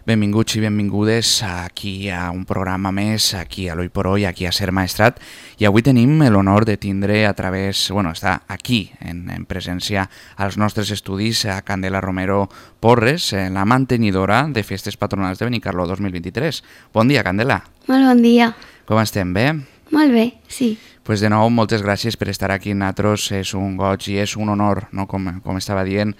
Benvinguts i benvingudes aquí a un programa més, aquí a l'Oi por Hoy, aquí a Ser Maestrat. I avui tenim l'honor de tindre a través, està aquí en presència als nostres estudis a Candela Romero Porres, la mantenidora de Festes Patronals de Benicarló 2023. Bon dia, Candela. Molt bon dia. Com estem, bé? Molt bé, sí. Pues de nou, moltes gràcies per estar aquí amb nosaltres, és un goig i és un honor, no? com estava dient,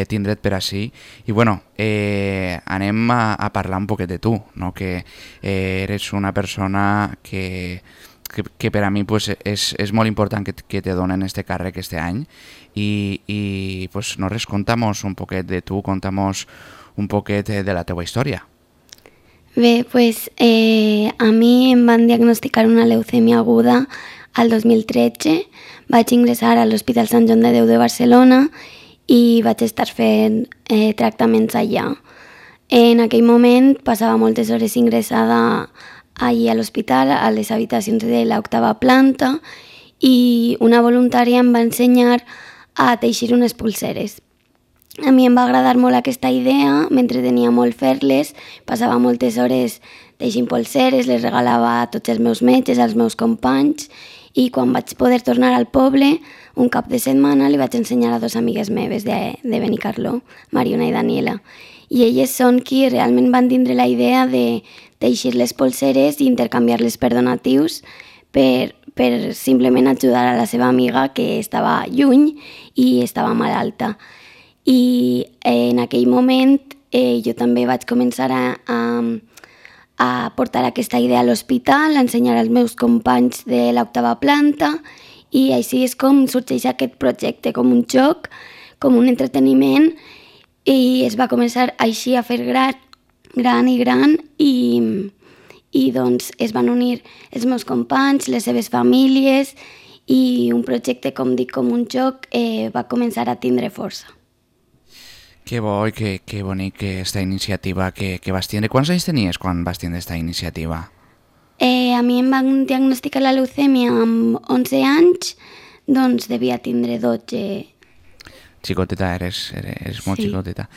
tindre't per ací. I anem a parlar un poquet de tu, no? Que eres una persona que per a mi pues, és molt important que te donen este càrrec este any i pues, no res, contamos un poquet de tu, contamos un poquet de la teua història. Bé, pues a mi em van diagnosticar una leucèmia aguda al 2013. Vaig ingressar a l'Hospital Sant Joan de Déu de Barcelona i vaig estar fent tractaments allà. En aquell moment passava moltes hores ingressada allà a l'hospital, a les habitacions de l'octava planta, i una voluntària em va ensenyar a teixir unes pulseres. A mi em va agradar molt aquesta idea, m'entretenia molt fer-les, passava moltes hores teixint pulseres, les regalava a tots els meus metges, als meus companys, i quan vaig poder tornar al poble, un cap de setmana li vaig ensenyar a dues amigues meves de Benicarló, Mariona i Daniela. I elles són qui realment van tindre la idea de teixir les pulseres i intercanviar-les per donatius per simplement ajudar a la seva amiga que estava lluny i estava malalta. I en aquell moment jo també vaig començar a portar aquesta idea a l'hospital, a ensenyar als meus companys de l'octava planta, i així és com sorgeix aquest projecte, com un joc, com un entreteniment, i es va començar així a fer gran i doncs es van unir els meus companys, les seves famílies, i un projecte, com dic, com un joc, va començar a tindre força. Que bo i que bonic aquesta iniciativa que vas tindre. Quants anys tenies quan vas tindre aquesta iniciativa? A mi em van diagnosticar la leucèmia amb 11 anys, doncs devia tindre 12. Xicoteta, eres molt xicoteta.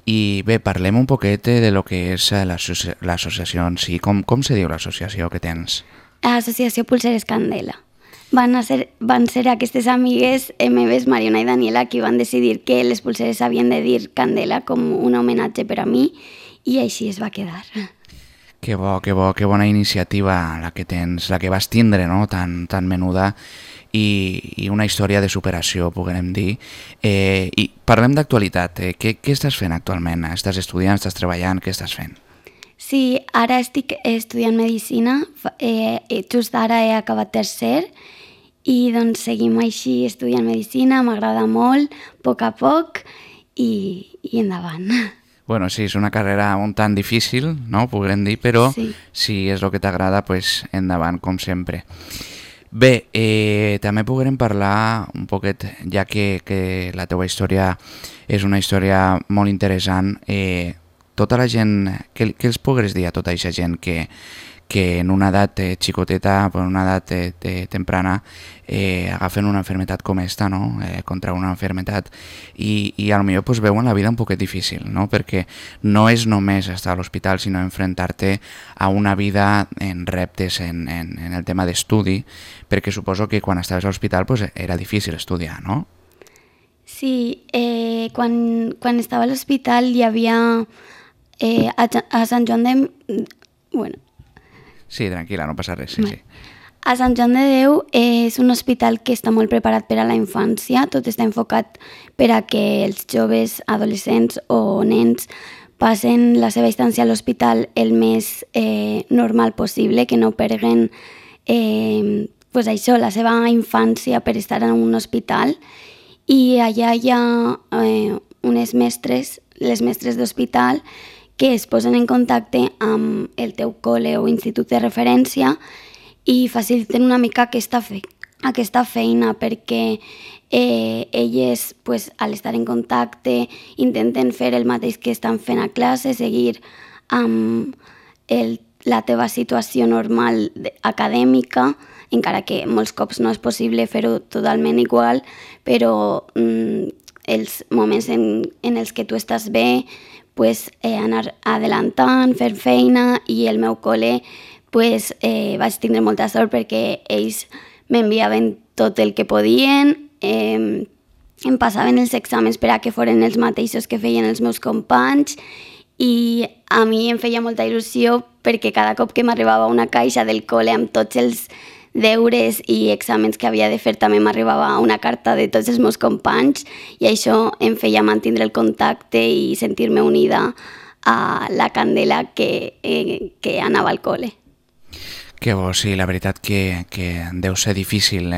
I bé, parlem un poquet de lo que és l'associació en si. Com se diu l'associació que tens? Associació Pulseres Candela. Van ser aquestes amigues meves, Mariona i Daniela, qui van decidir que les pulseres havien de dir Candela com un homenatge per a mi, i així es va quedar. Que bona iniciativa la que tens, la que vas tindre, no? tan menuda, i una història de superació, podem dir. I parlem d'actualitat. Què estàs fent actualment? Estàs estudiant, estàs treballant, què estàs fent? Sí, ara estic estudiant medicina, just ara he acabat tercer, i doncs seguim així estudiant medicina, m'agrada molt, a poc, i endavant. Bueno, sí, és una carrera un tant difícil, no? Podem dir, però sí. Si és el que t'agrada, pues endavant, com sempre. Bé, també podrem parlar un poquet, ja que la teva història és una història molt interessant. Tota la gent, què els podries dir a tota aquesta gent que en una edat xicoteta, en una edat temprana, agafen una enfermedad com esta, no? Contra una enfermedad, i a lo millor pues, veuen la vida un poquet difícil, no? Perquè no és només estar a l'hospital, sinó enfrontar-te a una vida en reptes, en el tema d'estudi, perquè suposo que quan estaves a l'hospital pues, era difícil estudiar, no? Sí, quan estava a l'hospital hi havia a Sant Joan de... Bueno. Sí, tranquil·la, no passa res, sí. A Sant Joan de Déu és un hospital que està molt preparat per a la infància, tot està enfocat per a que els joves, adolescents o nens passen la seva estància a l'hospital el més normal possible, que no perduen pues això, la seva infància per estar en un hospital. I allà hi ha unes mestres, les mestres d'hospital, que es posen en contacte amb el teu col·le o institut de referència i faciliten una mica aquesta feina, perquè elles, pues, al estar en contacte, intenten fer el mateix que estan fent a classe, seguir amb la teva situació normal acadèmica, encara que molts cops no és possible fer-ho totalment igual, però els moments en els que tu estàs bé, pues, anar adelantant, fer feina, i el meu col·le pues, vaig tindre molta sort perquè ells m'enviaven tot el que podien, em passaven els exàmens per a que foren els mateixos que feien els meus companys, i a mi em feia molta il·lusió perquè cada cop que m'arribava una caixa del col·le amb tots els deures i exàmens que havia de fer també m'arribava una carta de tots els meus companys, i això em feia mantenir el contacte i sentir-me unida a la Candela que anava al col·le. Que bo, sí, la veritat que deu ser difícil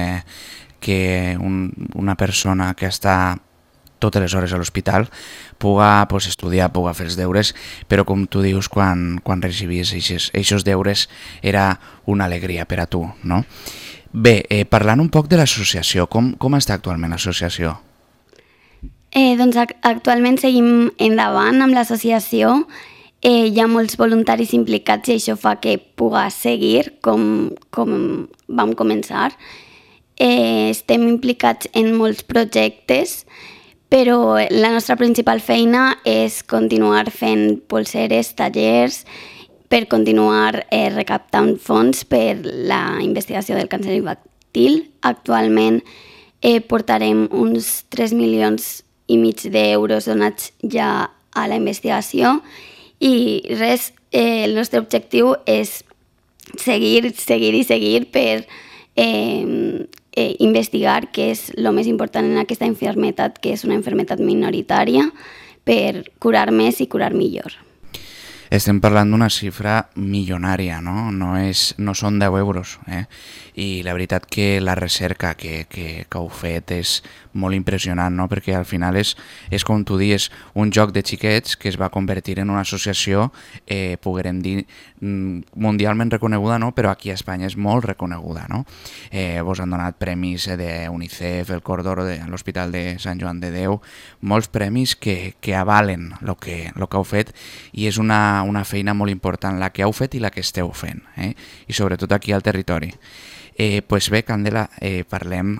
que una persona que està totes les hores a l'hospital puga pues, estudiar, puga fer els deures, però com tu dius, quan recibies aquests deures era una alegria per a tu, no? Bé, parlant un poc de l'associació, com està actualment l'associació? Doncs actualment seguim endavant amb l'associació, hi ha molts voluntaris implicats i això fa que puga seguir com vam començar. Estem implicats en molts projectes, però la nostra principal feina és continuar fent polseres, tallers, per continuar recaptant fons per la investigació del càncer infantil. Actualment portarem uns 3,5 milions d'euros donats ja a la investigació, i res, el nostre objectiu és seguir per investigar què és el més important en aquesta malaltia, que és una malaltia minoritària, per curar més i curar millor. Estem parlant d'una xifra milionària, no? No són 10 euros, I la veritat que la recerca que heu fet és molt impressionant, no? Perquè al final és com tu dius, un joc de xiquets que es va convertir en una associació, poguérem dir, mundialment reconeguda, no? Però aquí a Espanya és molt reconeguda, no? Vos han donat premis d'UNICEF, el Cor d'Oro de l'Hospital de Sant Joan de Déu, molts premis que avalen el que heu fet, i és una feina molt important la que heu fet i la que esteu fent, i sobretot aquí al territori. Pues bé, Candela, parlem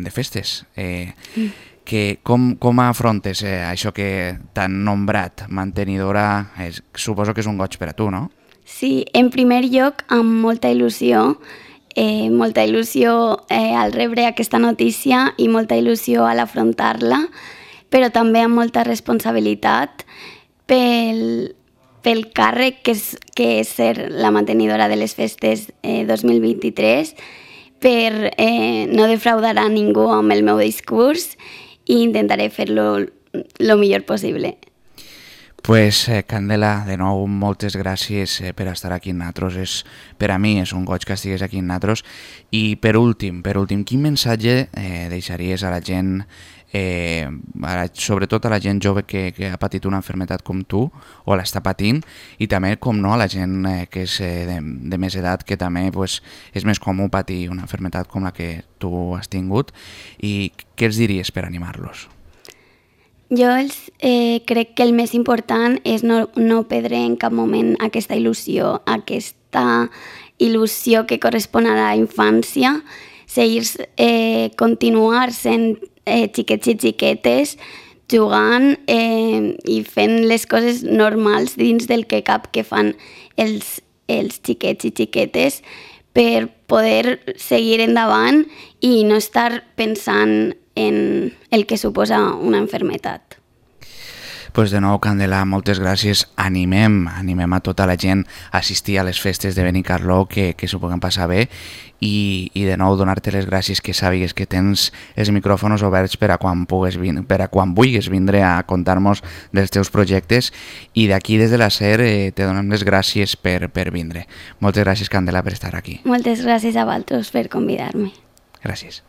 de festes. Com afrontes això que t'han nombrat mantenidora? Suposo que és un goig per a tu, no? Sí, en primer lloc, amb molta il·lusió al rebre aquesta notícia i molta il·lusió al afrontar-la, però també amb molta responsabilitat pel càrrec que és ser la mantenidora de les festes 2023, per no defraudar a ningú amb el meu discurs, i intentaré fer-lo el millor possible. Pues, Candela, de nou, moltes gràcies per estar aquí amb nosaltres. Per a mi és un goig que estigués aquí amb nosaltres. I per últim, quin missatge deixaries a la gent, sobretot a la gent jove que ha patit una malaltia com tu, o l'està patint, i també, com no, a la gent que és de més edat, que també pues, és més comú patir una malaltia com la que tu has tingut, i què els diries per animar-los? Jo crec que el més important és no perdre en cap moment aquesta il·lusió que correspon a la infància, continuar sent xiquets i xiquetes, jugant i fent les coses normals dins del que cap que fan els xiquets i xiquetes, per poder seguir endavant i no estar pensant en el que suposa una malaltia. Pues de nou, Candela, moltes gràcies. Animem a tota la gent a assistir a les festes de Benicarló, que s'ho puguin passar bé, i de nou donar-te les gràcies, que sàpigues que tens els micròfons oberts per a quan vulguis vindre a contar-nos dels teus projectes, i d'aquí des de la SER te donem les gràcies per vindre. Moltes gràcies, Candela, per estar aquí. Moltes gràcies a vosaltres per convidar-me. Gràcies.